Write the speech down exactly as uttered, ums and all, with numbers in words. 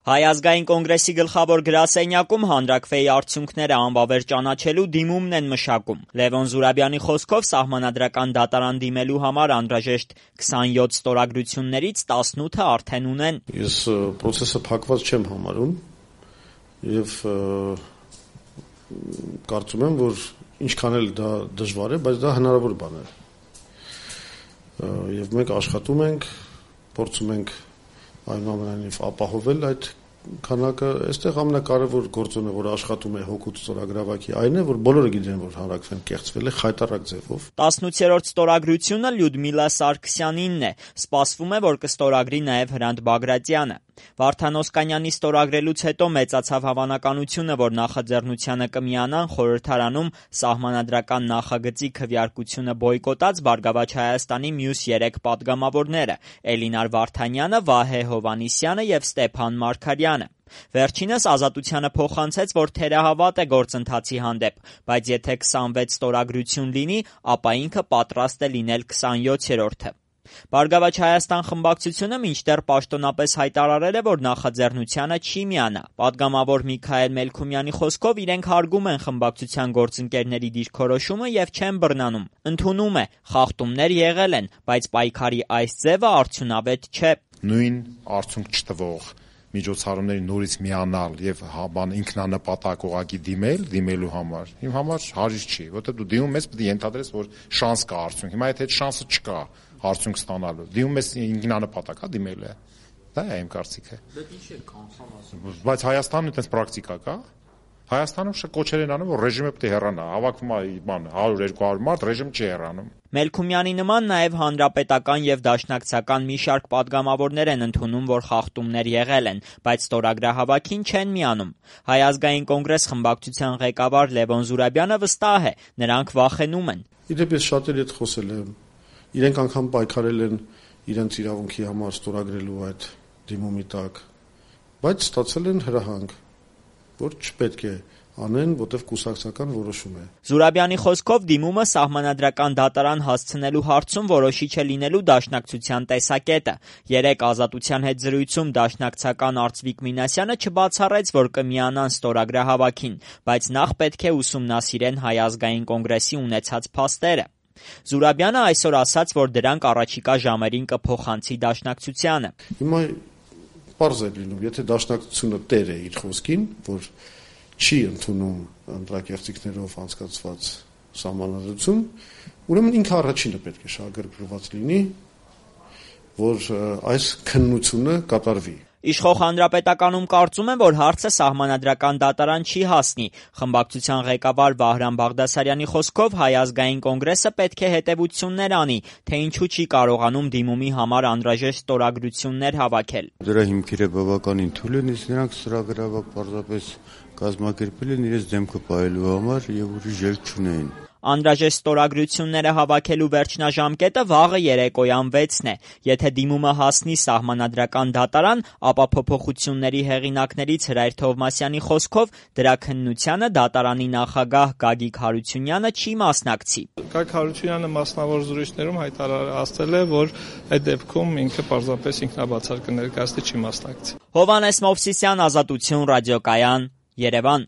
Հայ ազգային կոնգրեսի գլխավոր գրասենյակում հանրաքվեի արդյունքները անվավեր ճանաչելու դիմումն են մշակում։ Լևոն Զուրաբյանի խոսքով սահմանադրական դատարան դիմելու համար անհրաժեշտ քսանյոթ ստորագրություններից տասնութը արդեն ունեն։ Ես process-ը փակված չեմ համարում եւ կարծում եմ, որ ինչքան էլ դա դժվար է, բայց դա հնարավոր բան է։ Եվ մենք աշխատում ենք, փորձում ենք այնուամենայնիվ ապահովել այդ քանակը, այստեղ ամենակարևոր գործոնը, որ աշխատում է հօգուտ ստորագրավակի, այն է, որ բոլորը գիտեն, որ հանրաքվեն կեղծվել է խայտառակ ձևով։ տասնութերորդ ստորագրությունը Լյուդմիլա Սարգսյանինն է, սպասվում է, որ կստորագրի նաև Հրանտ Բագրատյանը։ Վարդան Օսկանյանի ստորագրելուց հետո մեծացավ հավանականությունը, որ նախաձեռնությանը կմիանան խորհրդարանում սահմանադրական նախագծի քվեարկությունը բոյկոտած Բարգավաճ Հայաստանի մյուս երեք պատգամավորները՝ Էլինար Վարդանյանը, Վահե Հովհաննիսյանը և Ստեփան Մարգարյանը։ Վերջինս Ազատությանը փոխանցեց, որ թերահավատ է գործընթացի հանդեպ, բայց եթե քսանվեց ստորագրություն լինի, ապա ինքը պատրաստ է լինել քսանյոթերորդը։ Բարգավաճ Հայաստան խմբակցությունը մինչդեռ պաշտոնապես հայտարարել է, որ նախաձեռնությանը չի միանա։ Պատգամավոր Միքայել Մելքումյանի խոսքով իրենք հարգում են խմբակցության գործընկերների դիրքորոշումը և չեն բռնանում։ Ընդունում է, խախտումներ եղել են, բայց պայքարի այս ձևը արդյունավետ չէ։ Նույն արդյունք չտվող միջոցառումների նորից միանալ եւ բան ինքնանպատակ ուղղակի դիմել, դիմելու համար իմ համար հարիր չի, որտեղ դու դիմում ես, պետք է ենթադրես, որ շանս կա արդյունք։ Հիմա եթե այդ շանսը չկա արդյունք ստանալու, դիմում ես ինքնանպատակ, հա, դիմելու է։ Դա է իմ կարծիքը։ Դա ինչ է կանցան ասում։ Բայց Հայաստանում այդպես պրակտիկա կա։ Հայաստանում շա կոչեր են անում, որ ռեժիմը պետք է հեռանա, հավաքվում է բան հարյուր երկու հարյուր մարդ, ռեժիմ չի հեռանում։ Մելքումյանի նման նաև հանրապետական եւ դաշնակցական մի շարք պատգամավորներ են ընդունում, որ խախտումներ եղել են, բայց ստորագրահավաքին չեն միանում։ Հայ ազգային կոնգրես խմբակցության ղեկավար Լևոն Զուրաբյանը վստահ է, նրանք վախենում են։ Իդեպ ես շատերի հետ խոսել եմ, իրենք անգամ պայքարել են իրենց իրավունքի համար ստորագրելու այդ դիմումի տակ, բայց ստացել են հրահանգ, որ չպետք է անեն, որտեղ կուսակցական որոշում է։ Զուրաբյանի խոսքով դիմումը սահմանադրական դատարան հասցնելու հարցում որոշիչ է լինելու դաշնակցության տեսակետը։ Երեկ Ազատության հետ զրույցում դաշնակցական Արծվիկ Մինասյանը չբացառեց, որ կմիանան ստորագրահավաքին, բայց նախ պետք է ուսումնասիրեն Հայ ազգային կոնգրեսի ունեցած փաստերը։ Զուրաբյանը այսօր ասաց, որ դրանք առաջիկա ժամերին կփոխանցի դաշնակցությանը։ Հիմա պարզ է լինում, եթե դաշնակցությունը տեր է իր խոսքին, որ չի ընդունում ընտրակեղծիքներով անցկացված սահմանադրություն, ուրեմն ինքը առաջինը պետք է շահագրգռված լինի, որ այս քննությունը կատարվի։ Իշխող Հանրապետականում կարծում են, որ հարցը սահմանադրական դատարան չի հասնի։ Խմբակցության ղեկավար Վահրամ Բաղդասարյանի խոսքով Հայ ազգային կոնգրեսը պետք է հետևություններ անի, թե ինչու չի կարողանում դիմումի համար անհրաժեշտ ստորագրություններ հավաքել։ Դրա հիմքերը բավականին թույլ են, իսկ նրանք ստորագրավակ պարզապես կազմակերպել են իրենց դեմքը պահելու համար եւ ուրիշ ելք չունեին։ Անհրաժեշտ ստորագրությունները հավաքելու վերջնաժամկետը վաղը երեկոյան վեցն է։ Եթե դիմումը հասնի սահմանադրական դատարան, ապա փոփոխությունների հեղինակներից Հրայր Թովմասյանի խոսքով դրա քննությանը դատարանի նախագահ Գագիկ Հարությունյանը չի մասնակցի։ Գագիկ Հարությունյանը մասնավոր զրույցներում հայտարարել է, որ այդ դեպքում ինքը պարզապես ինքնաբացարկը ներկայացնի, չի մասնակցի։ Հովհաննես Մովսիսյան, Ազատություն, ռադիոկայան, Երևան։